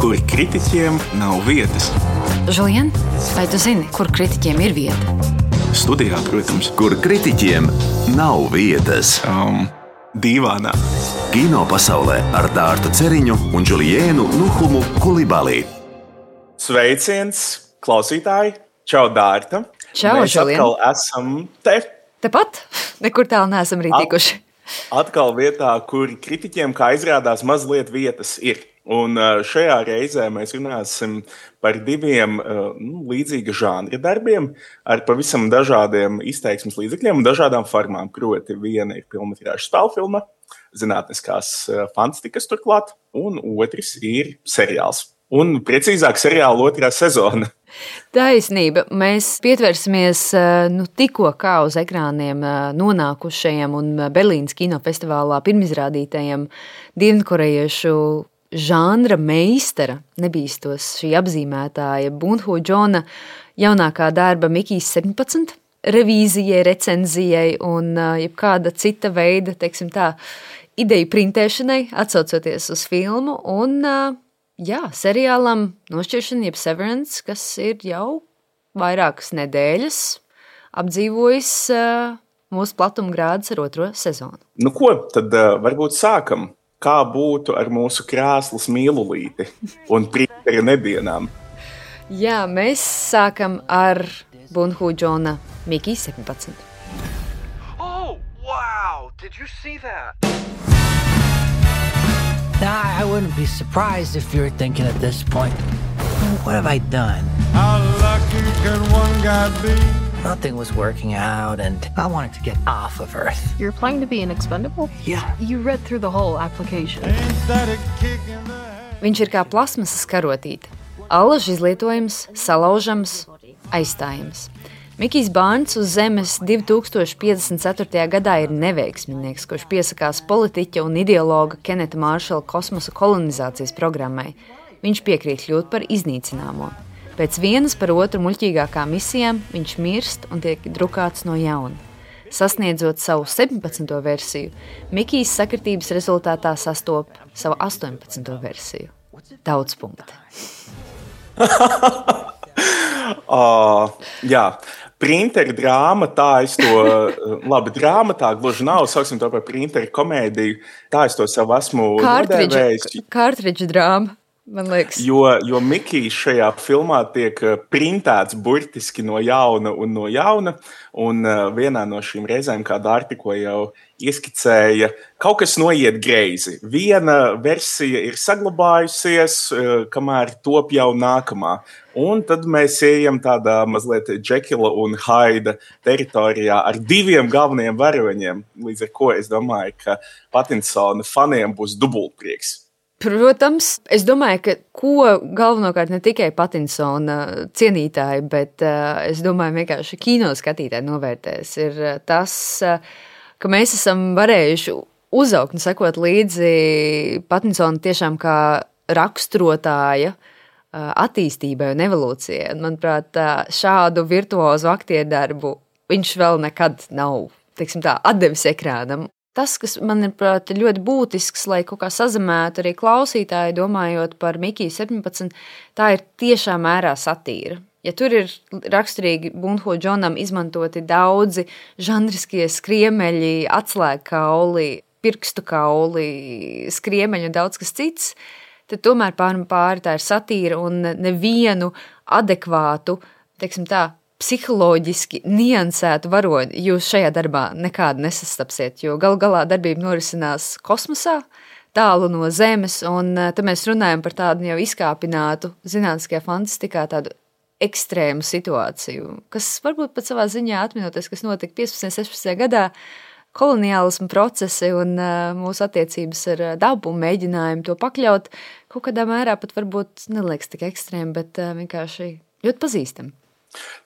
kur kritiķiem nav vietas. Žulien, vai tu zini, kur kritiķiem ir vieta? Studijā, protams. Kur kritiķiem nav vietas. Dīvānā. Kino pasaulē ar Dārtu Ceriņu un Džuliēnu Nuhumu Kulibalī. Sveiciens, klausītāji! Čau, Dārta! Čau, Žulien! Mēs atkal esam te. Tepat? Nekur tālu neesam arī tikuši. Atkal vietā, kur kritiķiem, kā izrādās, mazliet vietas ir. Un šajā reizē mēs runāsim par diviem līdzīga žanra darbiem ar pavisam dažādiem izteiksmes līdzekļiem un dažādām formām. Proti, viena ir filmatrāža spēlfilma, zinātniskās fantastikas turklāt, un otrs ir seriāls. Un precīzāk seriāla otrā sezona. Taisnība. Mēs pietversimies tikko kā uz ekrāniem nonākušajam un Berlīnas kinofestivālā pirmizrādītajam dienvidkorejiešu žanra meistara, nebīstos šī apzīmētāja Bun-ho Džona jaunākā darba Mikijs 17 revīzijai, recenzijai un jebkāda cita veida, teiksim tā, ideju printēšanai, atsaucoties uz filmu un seriālam Nošķiršana jeb Severance, kas ir jau vairākas nedēļas apdzīvojis mūsu platumgrādus ar otro sezonu. Nu ko, tad varbūt sākam. Kā būtu ar mūsu krāslas mīlulīti un printera nedienām? Jā, mēs sākam ar Bun-ho Džona Mikijs 17. Oh, wow! Did you see that? I wouldn't be surprised if you're thinking at this point, what have I done? How lucky can one guy be? Nothing was working out and I wanted to get off of Earth. You're applying to be an expendable? Yeah. You read through the whole application. Ain't that a kick in the head? Viņš ir kā plasmasas karotīte. Allaž izlietojams, salaužams, aizstājams. Mikijs Bārns uz Zemes 2054. gadā ir neveiksminieks, kurš piesakās politiķa un ideologa Keneta Māršala kosmosa kolonizācijas programmai. Viņš piekrīt kļūt par iznīcināmo. Pēc vienas par otru muļķīgākām misijām viņš mirst un tiek drukāts no jauna. Sasniedzot savu 17. versiju, Mikijs sakritības rezultātā sastop savu 18. versiju. Daudz punkti. Jā, printera drāma, tā es to, labi, drāma tā gluži nav, sauksim to par printera komēdiju, tā es to sev esmu nodēvējis. Kārtridža drāma, man liekas. Jo Mikijs šajā filmā tiek printēts burtiski no jauna, un vienā no šīm reizēm, kā Dārta tikko jau ieskicēja, kaut kas noiet greizi. Viena versija ir saglabājusies, kamēr top jau nākamā. Un tad mēs ejam tādā mazliet Džekila un Haida teritorijā ar diviem galvenajiem varoņiem, līdz ar ko es domāju, ka Patinsona faniem būs dubultprieks. Protams, es domāju, ka ko galvenokārt ne tikai Patinsona cienītāji, bet es domāju vienkārši kino skatītāji novērtēs, ir tas, ka mēs esam varējuši uzaugt un sekot līdzi Patinsona tiešām kā raksturotāja attīstībai un evolūcijai. Un, manuprāt, šādu virtuozu aktierdarbu viņš vēl nekad nav, teiksim tā, atdevis ekrānam. Tas, kas man ir ļoti būtisks, lai kaut kā sazemētu arī klausītāji, domājot par Mikiju 17, tā ir tiešā mērā satīra. Ja tur ir raksturīgi Bun-ho Džonam izmantoti daudzi žanriskie skriemeļi, atslēgkauli, pirkstu kauli, skriemeļi un daudz kas cits, tad tomēr pāri tā ir satīra un nevienu adekvātu, teiksim tā, psiholoģiski niansētu varoni jūs šajā darbā nekādu nesastapsiet, jo galā darbība norisinās kosmosā, tālu no Zemes, un tad mēs runājam par tādu jau izkāpinātu zinātniskajā fantastikā tādu ekstrēmu situāciju, kas varbūt pat savā ziņā atminoties, kas notika 15. 16. gadā, koloniālismu procesi un mūsu attiecības ar dabu un mēģinājumu to pakļaut, kaut kādā mērā pat varbūt neliekas tik ekstrēmi, bet vienkārši ļoti pazīstami.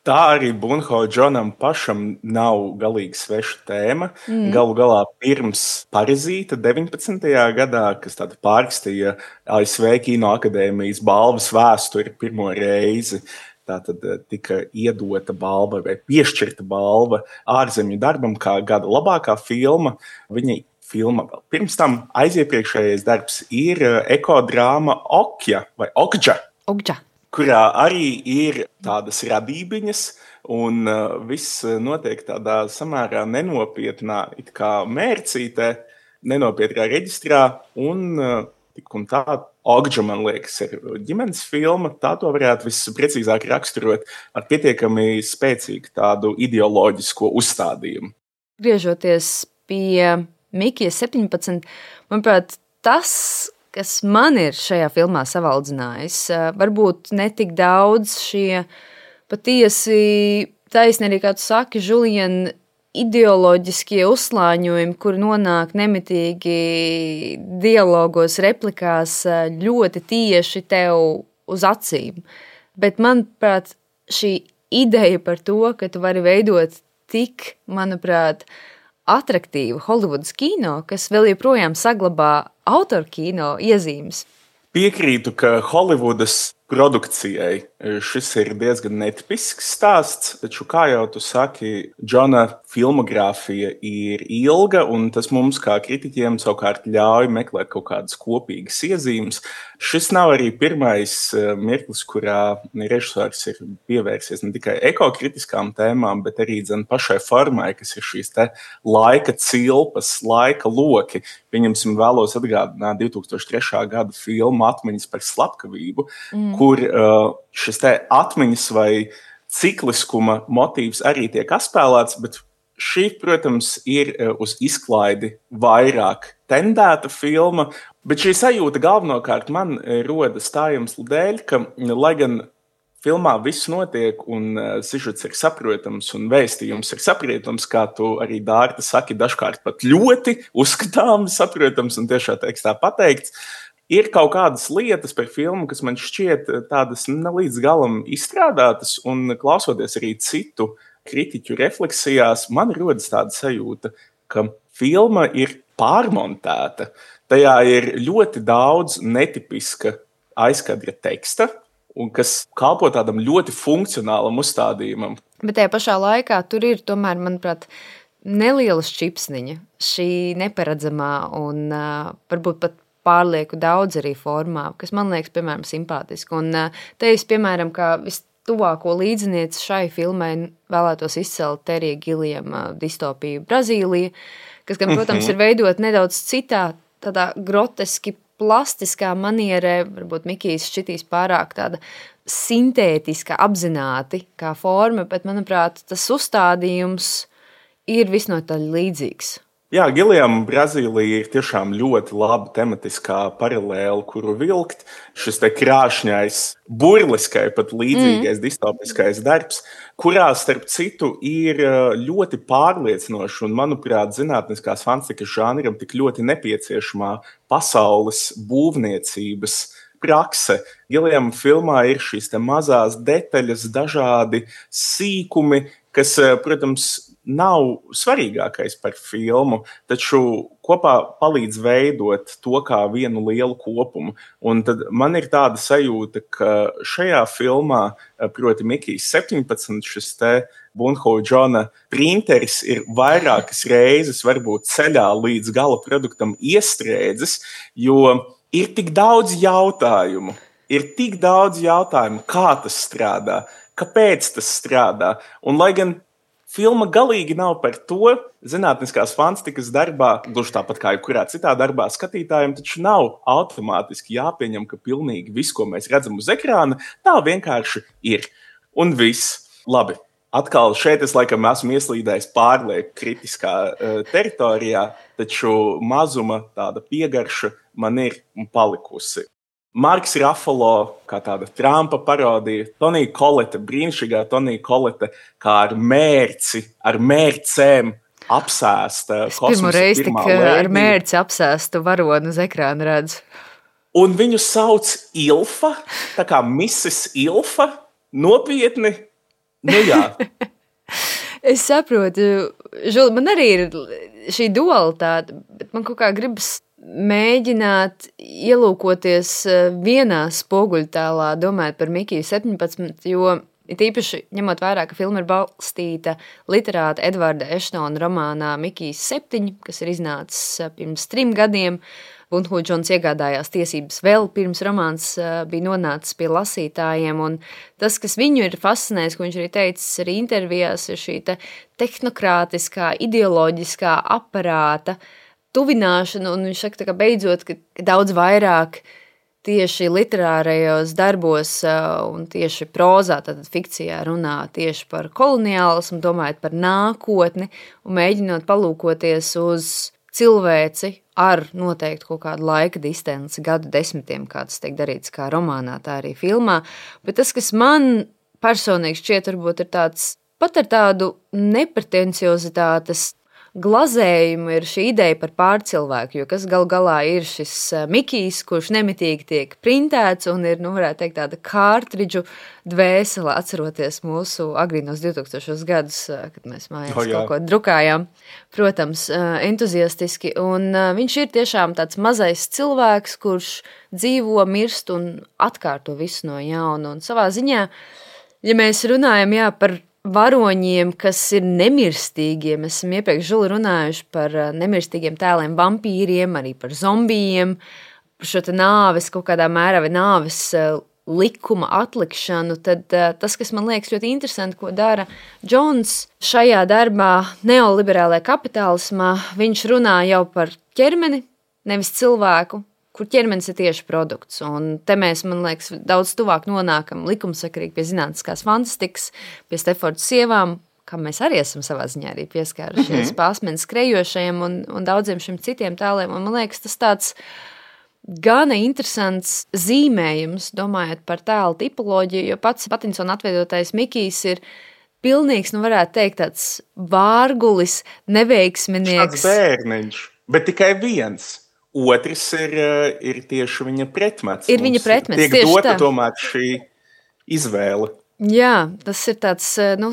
Tā arī Bun-ho Džonam pašam nav galīgi sveša tēma. Galu galā pirms Parazīta 19. gadā, kas tāda pārrakstīja ASV Kino akadēmijas balvas vēsturi pirmo reizi, tātad tika iedota balva vai piešķirta balva ārzemju darbam kā gada labākā filma. Viņa filma vēl. Pirms tam aiziepriekšējais darbs ir ekodrāma Okja vai Okģa, kurā arī ir tādas radībiņas, un viss notiek tādā samērā nenopietnā it kā mērcītē, nenopietnā reģistrā, un tik un tā Okģa, man liekas, ir ģimenes filma. Tā to varētu visprecīzāk raksturot ar pietiekami spēcīgu tādu ideoloģisko uzstādījumu. Griežoties pie Mikija 17, manuprāt, tas, kas man ir šajā filmā savaldzinājis, varbūt netik daudz šie patiesi taisni arī, kā tu saki, Julien, ideoloģiskie uzslāņojumi, kur nonāk nemitīgi dialogos, replikās ļoti tieši tev uz acīm. Bet, manuprāt, šī ideja par to, ka tu vari veidot tik, manuprāt, atraktīvu Holivudas kino, kas vēl joprojām saglabā autoru kino iezīmes. Piekrītu, ka Holivudas produkcijai šis ir diezgan netipisks stāsts, taču, kā jau tu saki, Džona filmogrāfija ir ilga, un tas mums, kā kritiķiem, savukārt ļauj meklēt kaut kādas kopīgas iezīmes. Šis nav arī pirmais mirklis, kurā režisors ir pievērsies ne tikai ekokritiskām tēmām, bet arī pašai formai, kas ir šīs te laika cilpas, laika loki. Pieņemsim, vēlos atgādināt 2003. Gada filmu Atmiņas par slepkavību, kur šis te atmiņas vai cikliskuma motīvs arī tiek atspēlēts, bet šī, protams, ir uz izklaidi vairāk tendēta filma, bet šī sajūta galvenokārt man rodas tā iemesla dēļ, ka, lai gan filmā viss notiek un sižets ir saprotams un vēstījums ir saprotams, kā tu arī, Dārta, saki, dažkārt pat ļoti uzskatāms, saprotams un tiešā tekstā pateikts, ir kaut kādas lietas par filmu, kas man šķiet tādas ne līdz galam izstrādātas, un klausoties arī citu kritiķu refleksijās, man rodas tāda sajūta, ka filma ir pārmontēta. Tajā ir ļoti daudz netipiska aizkadra teksta, un kas kalpo tādam ļoti funkcionālam uzstādījumam. Bet tajā pašā laikā tur ir tomēr, manuprāt, neliela šķipsniņa, šī neparedzamā un varbūt pat pārlieku daudz arī formā, kas man liekas, piemēram, simpātiski. Un te es, piemēram, kā vistuvāko līdzinieci šai filmai vēlētos izcelt Terija Gilliama distopiju Brazīlija, kas, gan, protams, ir veidot nedaudz citā, tādā groteski plastiskā manierē, varbūt Mikijs šķitīs pārāk tāda sintētiska, apzināti kā forma, bet, manuprāt, tas uzstādījums ir visnotaļ līdzīgs. Jā, Gilliama Brazīlija ir tiešām ļoti laba tematiskā paralēla, kuru vilkt. Šis te krāšņais, burliskai, pat līdzīgais distopiskais darbs, kurā, starp citu, ir ļoti pārliecinoši un, manuprāt, zinātniskās fantastikas žanram tik ļoti nepieciešamā pasaules būvniecības prakse. Gilliama filmā ir šīs te mazās detaļas, dažādi sīkumi, kas, protams, nav svarīgākais par filmu, taču kopā palīdz veidot to kā vienu lielu kopumu. Un tad man ir tāda sajūta, ka šajā filmā, proti Mikijs 17, šis te Bunho Džona printeris ir vairākas reizes varbūt ceļā līdz gala produktam iestrēdzis, jo ir tik daudz jautājumu. Kā tas strādā, kāpēc tas strādā. Un lai gan filma galīgi nav par to, zinātniskās fantastikas darbā, gluži tāpat kā jebkurā citā darbā, skatītājiem taču nav automātiski jāpieņem, ka pilnīgi viss, ko mēs redzam uz ekrāna, tā vienkārši ir. Un viss. Labi. Atkal šeit es laikam esmu ieslīdējis pārlieku kritiskā teritorijā, taču mazuma tāda piegarša man ir palikusi. Marks Ruffalo, kā tāda Trumpa parodija, Tonija Kolete, brīnišķīgā Tonija Kolete, kā ar mērci, ar mērcēm apsēsta kosmosa pirmo reizi pirmā tik lēdija. ar mērci apsēstu varonu uz ekrāna redzu. Un viņu sauc Ilfa, tā kā Mrs. Ilfa, nopietni. Nu jā. Es saprotu, Žuli, man arī ir šī dualitāte, bet man kaut kā gribas mēģināt ielūkoties vienā spoguļtēlā, domājot par Mikiju 17, jo it īpaši ņemot vērā, ka filma ir balstīta literāta Edvarda Eštona romānā Mikijs 7, kas ir iznācis pirms 3 gadiem. Bunhu Džons iegādājās tiesības vēl pirms romāns bija nonācis pie lasītājiem, un tas, kas viņu ir fascinējis, ko viņš arī teicis arī intervijās, ir šī tehnokrātiskā, ideoloģiskā aparāta tuvināšana, un viņš saka, ka beidzot, ka daudz vairāk tieši literārajos darbos un tieši prozā, tātad fikcijā runā tieši par koloniālismu, domājot par nākotni un mēģinot palūkoties uz cilvēci ar noteikti kaut kādu laika distanci, gadu desmitiem, kā tas tiek darīts kā romānā, tā arī filmā. Bet tas, kas man personīgi šķiet, varbūt ir tāds, pat ar tādu nepretenciozitātes glazējumu ir šī ideja par pārcilvēku, jo kas galu galā ir šis Mikijs, kurš nemitīgi tiek printēts un ir, varētu teikt, tāda kārtridžu dvēsele, atceroties mūsu agrīnos 2000 gadus, kad mēs mājās kaut ko drukājām, protams, entuziastiski, un viņš ir tiešām tāds mazais cilvēks, kurš dzīvo, mirst un atkārto visu no jauna, un savā ziņā, ja mēs runājam, par varoņiem, kas ir nemirstīgiem. Mēs esam iepriekš Žuli runājuši par nemirstīgiem tēliem vampīriem, arī par zombijiem, par šo nāves kaut kādā mērā vai nāves likuma atlikšanu, tad tas, kas man liekas ļoti interesanti, ko dara Džons šajā darbā neoliberālajā kapitālismā, viņš runā jau par ķermeni, nevis cilvēku, kur ķermenis ir tieši produkts. Un te mēs, man liekas, daudz tuvāk nonākam likumsakarīgi pie zinātniskās fantastikas, pie Stefforda sievām, kam mēs arī esam savā ziņā arī pieskārušies Pāsmenes skrejošajiem un daudziem šiem citiem tēliem. Un man liekas, tas tāds gana interesants zīmējums, domājot par tēlu tipoloģiju, jo pats Patinsona atveidotais Mikijs ir pilnīgs, varētu teikt, tāds vārgulis, neveiksminieks. Tāds bērniņš, bet tikai viens. Otrs ir tieši viņa pretmets. Ir viņa pretmets, tiek tieši dota tā. Tomēr šī izvēle. Jā, tas ir tāds,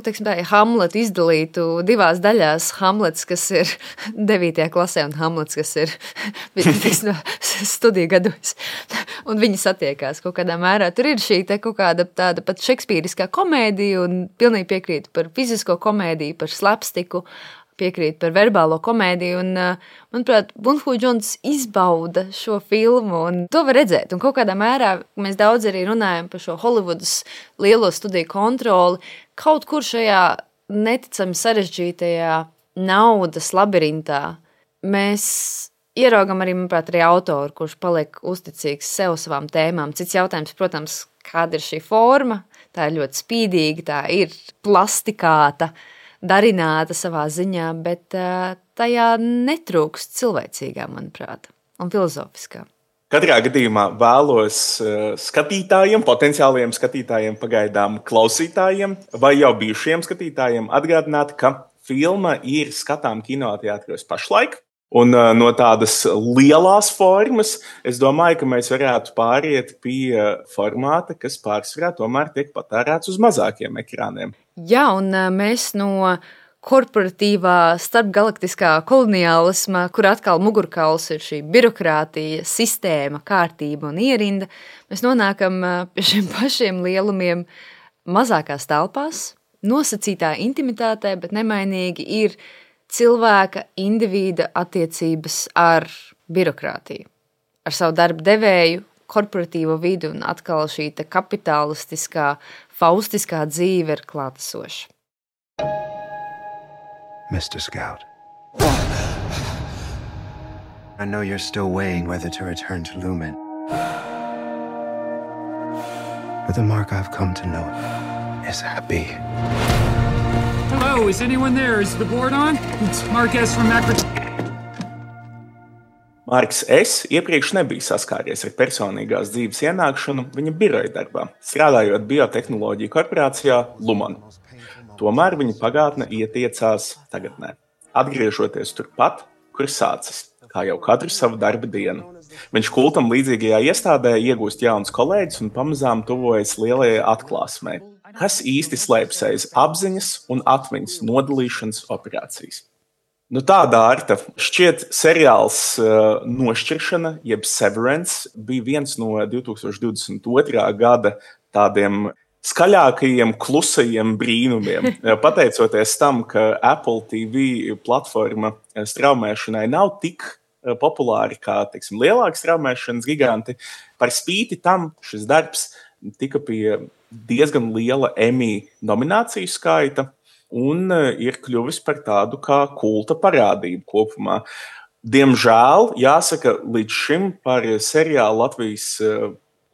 teiksim tā, Hamletu izdalītu divās daļās. Hamlets, kas ir 9. klasē, un Hamlets, kas ir studiju gados. Un viņi satiekās kaut kādā mērā. Tur ir šī te kaut kāda tāda pat šekspīriskā komēdija, un pilnīgi piekrītu par fizisko komēdiju, par slapstiku, piekrīt par verbālo komēdiju, un, manuprāt, Bunhu Džons izbauda šo filmu, un to var redzēt, un kaut kādā mērā mēs daudz arī runājam par šo Holivudas lielo studiju kontroli, kaut kur šajā neticami sarežģītajā naudas labirintā mēs ieraugam arī, manuprāt, arī autoru, kurš paliek uzticīgs sev savām tēmām. Cits jautājums, protams, kāda ir šī forma, tā ir ļoti spīdīga, tā ir plastikāta, darināta savā ziņā, bet tajā netrūkst cilvēcīgā, manuprāt, un filozofiskā. Katrā gadījumā vēlos skatītājiem, potenciālajiem skatītājiem, pagaidām klausītājiem vai jau bijušiem skatītājiem atgādināt, ka filma ir skatām kinoteātros pašlaik. Un no tādas lielās formas, es domāju, ka mēs varētu pāriet pie formāta, kas pārsvarā tomēr tiek patērēts uz mazākiem ekrāniem. Jā, un mēs no korporatīvā starpgalaktiskā koloniālisma, kur atkal mugurkauls ir šī birokrātija, sistēma, kārtība un ierinda, mēs nonākam pie šiem pašiem lielumiem mazākās telpās, nosacītā intimitātē, bet nemainīgi ir cilvēka individa attiecības ar birokrātiju, ar savu darba devēju, korporatīvo vidu, un atkal šī kapitalistiskā, faustiskā dzīve ir klātesoša. Mr. Scout, I know you're still weighing whether to return to Lumen. But the mark I've come to know is happy. Hello, is anyone there? Is the board on? It's Mark S. from Macro... Marks S. iepriekš nebija saskāries ar personīgās dzīves ienākšanu viņa biroja darbā, strādājot biotehnoloģiju korporācijā Lumen. Tomēr viņa pagātne ietiecās tagadnē, atgriežoties turpat, kur sācis, kā jau katru savu darba dienu. Viņš kultam līdzīgajā iestādē iegūst jaunus kolēģus un pamazām tuvojas lielajai atklāsmei, kas īsti slēpjas aiz apziņas un atmiņas nodalīšanas operācijas. Tāda Arta, šķiet seriāls Nošķiršana, jeb Severance, bija viens no 2022. Gada tādiem skaļākajiem, klusajiem brīnumiem. Pateicoties tam, ka Apple TV platforma straumēšanai nav tik populāri kā, teiksim, lielāki straumēšanas giganti, par spīti tam šis darbs tika pie diezgan liela Emmy nomināciju skaita un ir kļuvis par tādu kā kulta parādību kopumā. Diemžēl, jāsaka, līdz šim par seriālu Latvijas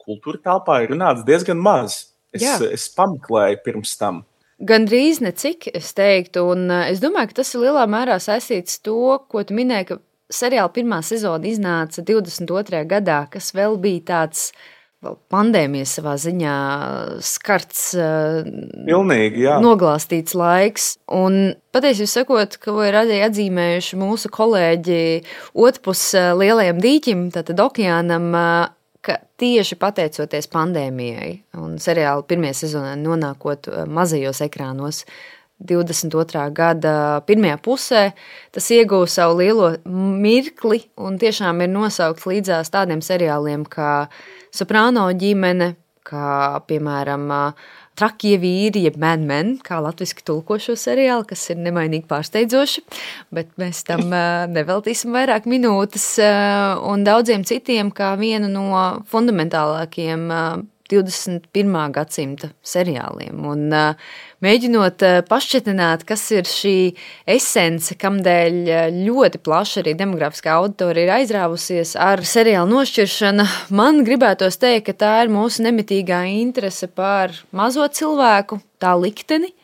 kultūra telpā ir runāts diezgan maz. Es pameklēju pirms tam. Gandrīz necik, es teiktu, un es domāju, ka tas ir lielā mērā saistīts to, ko tu minēji, ka seriāla pirmā sezona iznāca 22. gadā, kas vēl bija tāds pandēmijas savā ziņā skarts, pilnīgi, jā. Noglāstīts laiks. Un patiesībā sakot, ka ir arī atzīmējuši mūsu kolēģi otrpus lielajam dīķim, tātad okeānam, ka tieši pateicoties pandēmijai un seriāla pirmajā sezonā nonākot mazajos ekrānos 22. gada pirmajā pusē, tas ieguva savu lielo mirkli un tiešām ir nosaukts līdzās tādiem seriāliem kā Soprāno ģimene, kā, piemēram, Trakie vīri, jeb Mad Men, kā latviski tulko šo seriālu, kas ir nemainīgi pārsteidzoši, bet mēs tam neveltīsim vairāk minūtes, un daudziem citiem kā vienu no fundamentālākiem 21. gadsimta seriāliem. Un mēģinot pašķetināt, kas ir šī esence, kamdēļ ļoti plaša arī demografiskā auditorija ir aizrāvusies ar seriālu nošķiršanu, man gribētos teikt, ka tā ir mūsu nemitīgā interese par mazo cilvēku, tā likteni.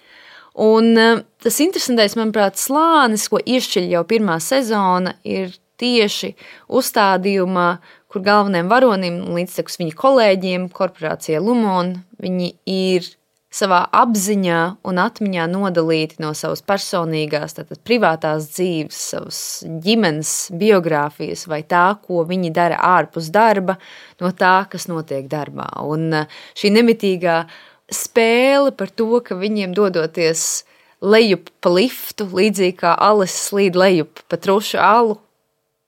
Un tas interesantais, manuprāt, slānis, ko iešķiļ jau pirmā sezona, ir tieši uzstādījumā, kur galvenajiem varonim līdztekus viņa kolēģiem, korporācija Lumon, viņi ir savā apziņā un atmiņā nodalīti no savas personīgās, tātad privātās dzīves, savas ģimenes biogrāfijas vai tā, ko viņi dara ārpus darba, no tā, kas notiek darbā. Un šī nemitīgā spēle par to, ka viņiem dodoties lejup pa liftu, līdzīgi kā alis slīd lejup pa trušu alu,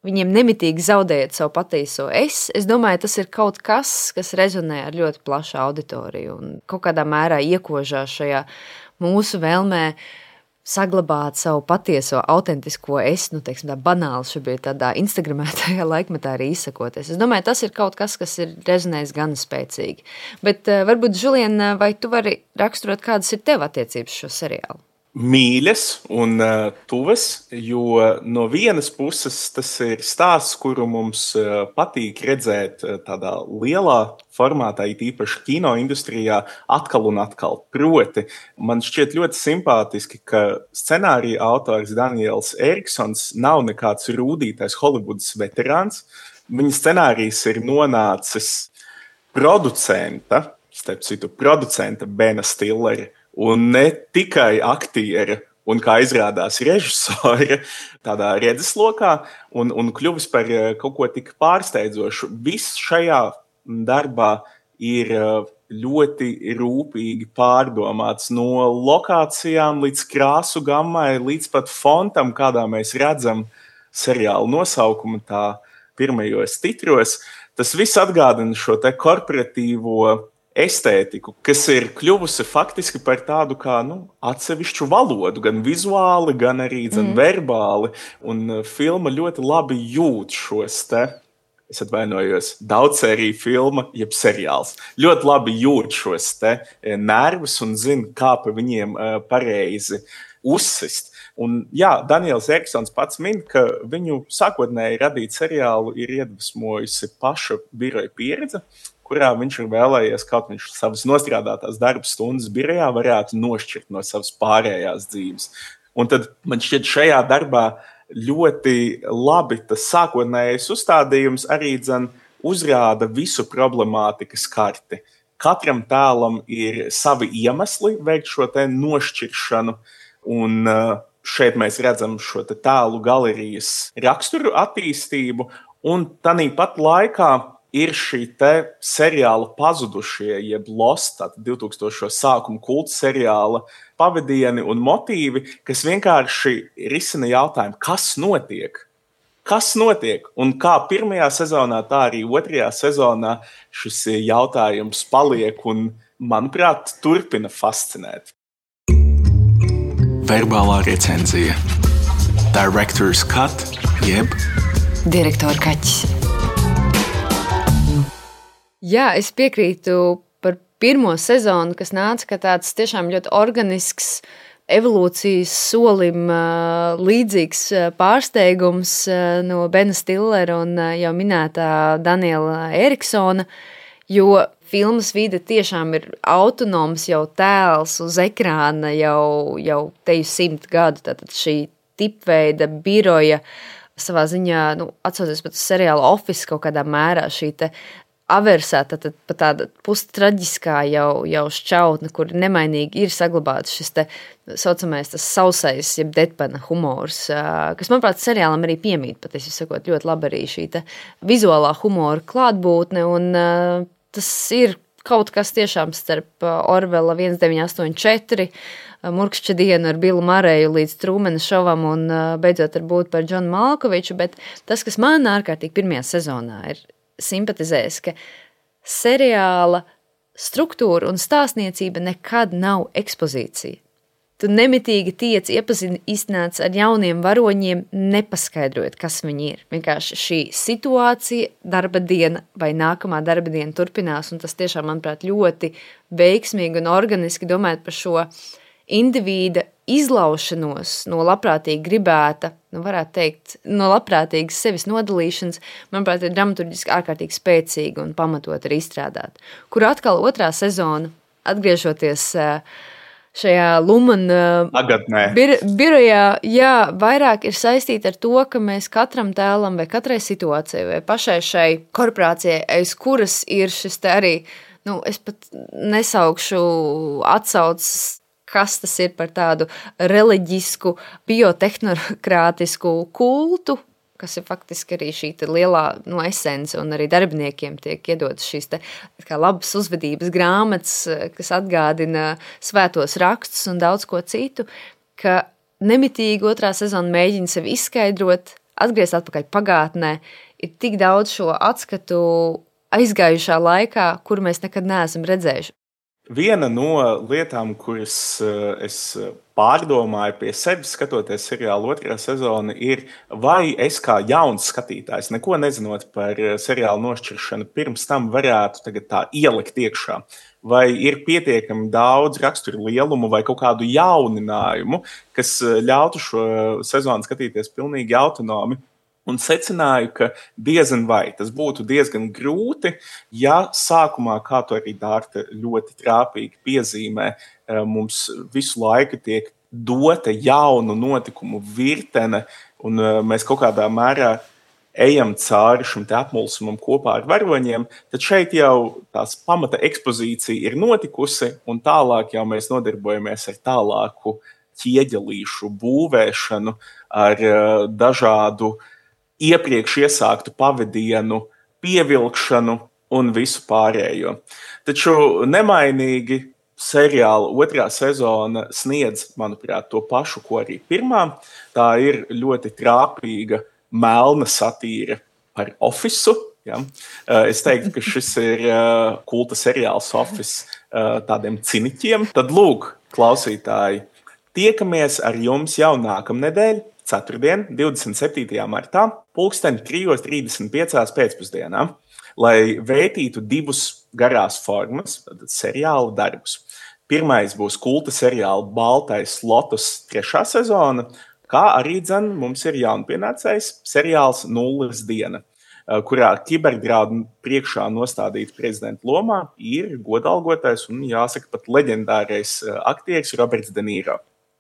viņiem nemitīgi zaudējot savu patieso es domāju, tas ir kaut kas, kas rezonē ar ļoti plašu auditoriju un kaut kādā mērā iekožās šajā mūsu vēlmē saglabāt savu patieso, autentisko teiksim tā banāli šobrīd tādā instagramētajā laikmetā arī izsakoties. Es domāju, tas ir kaut kas, kas ir rezonējis gan spēcīgi. Bet varbūt, Žulien, vai tu vari raksturot, kādas ir tev attiecības šo seriālu? Mīļas un tuvas, jo no vienas puses tas ir stāsts, kuru mums patīk redzēt tādā lielā formātā, it īpaši kino industrijā, atkal un atkal. Proti, man šķiet ļoti simpātiski, ka scenārija autors Daniels Eriksons nav nekāds rūdītais Holivudas veterāns. Viņa scenārijs ir nonācis producenta Bena Stillera, un ne tikai aktiera un, kā izrādās, režisora tādā redzeslokā un kļuvis par kaut ko tik pārsteidzošu. Viss šajā darbā ir ļoti rūpīgi pārdomāts no lokācijām līdz krāsu gammai, līdz pat fontam, kādā mēs redzam seriāla nosaukumu tā pirmajos titros. Tas viss atgādina šo te korporatīvo estētiku, kas ir kļuvusi faktiski par tādu kā atsevišķu valodu, gan vizuāli, gan arī verbāli. Un filma ļoti labi jūt šos te, es atvainojos, daudzsēriju filma, jeb seriāls. Ļoti labi jūt šos te nervus un zina, kā pa viņiem pareizi uzsist. Un jā, Daniels Eriksons pats min, ka viņu sākotnēji radīt seriālu ir iedvesmojusi paša biroja pieredze, kurā viņš ir vēlējies, kaut viņš savas nostrādātās darba stundas birojā varētu nošķirt no savas pārējās dzīves. Un tad man šķiet šajā darbā ļoti labi tas sākotnējais uzstādījums arī uzrāda visu problemātikas karti. Katram tēlam ir savi iemesli veikt šo te nošķiršanu, un šeit mēs redzam šo te tēlu galerijas raksturu attīstību, un tāpat laikā ir šī te seriāla pazudušie, jeb Lost, 2000. sākuma kulta seriāla pavadieni un motīvi, kas vienkārši risina jautājumu, kas notiek? Kas notiek? Un kā pirmajā sezonā, tā arī otrajā sezonā šis jautājums paliek un manuprāt, turpina fascinēt. Verbālā recenzija. Director's cut, jeb Direktora kaķis. Jā, es piekrītu par pirmo sezonu, kas nāca, ka tāds tiešām ļoti organisks evolūcijas solim līdzīgs pārsteigums no Bena Stillera un jau minētā Daniela Eriksona, jo filmas vide tiešām ir autonoms jau tēls uz ekrāna jau teju 100 gadu, tātad šī tipveida biroja savā ziņā, atcaucoties pat uz seriālu Office kaut kādā mērā, šī te aversā, tad pat tāda pustraģiskā jau šķautne, kur nemainīgi ir saglabāts šis te saucamais tas sausais, jeb deadpana humors, kas, manuprāt, seriālam arī piemīt, patiesi sakot, ļoti labi arī šī te vizuālā humora klātbūtne, un tas ir kaut kas tiešām starp Orvela 1984, Murkšķa dienu ar Billu Mareju līdz Trūmena šovam un beidzot ar būt par Džonu Malkoviču, bet tas, kas man ārkārtīgi pirmajā sezonā ir simpatizējis, ka seriāla struktūra un stāstniecība nekad nav ekspozīcija. Tu nemitīgi tiec iepazīstināts ar jauniem varoņiem, nepaskaidrojot, kas viņi ir. Vienkārši šī situācija, darba diena vai nākamā darba diena turpinās, un tas tiešām, manuprāt, ļoti veiksmīgi un organiski domājot par šo indivīda izlaušanos no labprātīgi gribēta, varētu teikt, no labprātīgas sevis nodalīšanas, manuprāt, ir dramaturģiski ārkārtīgi spēcīga un pamatot arī izstrādāt. Kur atkal otrā sezona, atgriežoties šajā Lumana birojā, jā, vairāk ir saistīta ar to, ka mēs katram tēlam vai katrai situācijai vai pašai šai korporācijai, aiz kuras ir šis te arī, es pat nesaukšu atsaucas, kas tas ir par tādu reliģisku, biotehnokratisku kultu, kas ir faktiski arī šī lielā esence, un arī darbiniekiem tiek iedotas šīs kā labas uzvedības grāmatas, kas atgādina svētos rakstus un daudz ko citu, ka nemitīgi otrā sezona mēģina sevi izskaidrot, atgriezt atpakaļ pagātnē, ir tik daudz šo atskatu aizgājušā laikā, kuru mēs nekad neesam redzējuši. Viena no lietām, kuras es pārdomāju pie sevis, skatoties seriālu otrā sezona, ir, vai es kā jauns skatītājs, neko nezinot par seriālu nošķiršanu, pirms tam varētu tagad tā ielikt iekšā. Vai ir pietiekami daudz raksturu lielumu vai kaut kādu jauninājumu, kas ļautu šo sezonu skatīties pilnīgi autonomi. Un secināju, ka diezgan vai tas būtu diezgan grūti, ja sākumā, kā to arī Dārta ļoti trāpīgi piezīmē, mums visu laiku tiek dota jaunu notikumu virtene, un mēs kaut kādā mērā ejam cauri šim te apmulsumam kopā ar varoņiem, tad šeit jau tās pamata ekspozīcija ir notikusi, un tālāk jau mēs nodarbojamies ar tālāku ķieģelīšu būvēšanu, ar dažādu iepriekš iesāktu pavadienu, pievilkšanu un visu pārējo. Taču nemainīgi seriāla otrā sezona sniedz, manuprāt, to pašu, ko arī pirmā. Tā ir ļoti trāpīga, melna satīra par Officeu. Ja? Es teiktu, ka šis ir kulta seriāls Office tādiem ciniķiem. Tad lūk, klausītāji, tiekamies ar jums jau nākamnedēļ, ceturtdien, 27. martā, 3:35 pēcpusdienā, lai vērtītu divus garās formas, tātad seriāla darbus. Pirmais būs kulta seriāla Baltais Lotus 3. sezona, kā arī mums ir jaunpienācējs seriāls Nulles diena, kurā kiberdraudu priekšā nostādīt prezidenta lomā ir godalgotais un, jāsaka, pat leģendārais aktieris Roberts De Niro.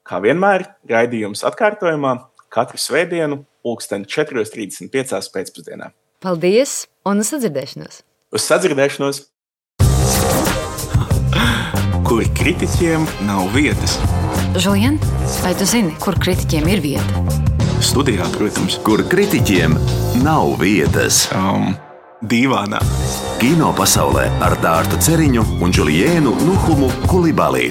Kā vienmēr, raidījums atkārtojumā katru svētdienu 4:35 pēcpusdienā. Paldies un uz sadzirdēšanos! Uz sadzirdēšanos! Kur kritiķiem nav vietas. Žulien, vai tu zini, kur kritiķiem ir vieta? Studijā, protams. Kur kritiķiem nav vietas. Dīvānā. Kino pasaulē ar Dārtu Ceriņu un Juliēnu Nuhumu Kulibali.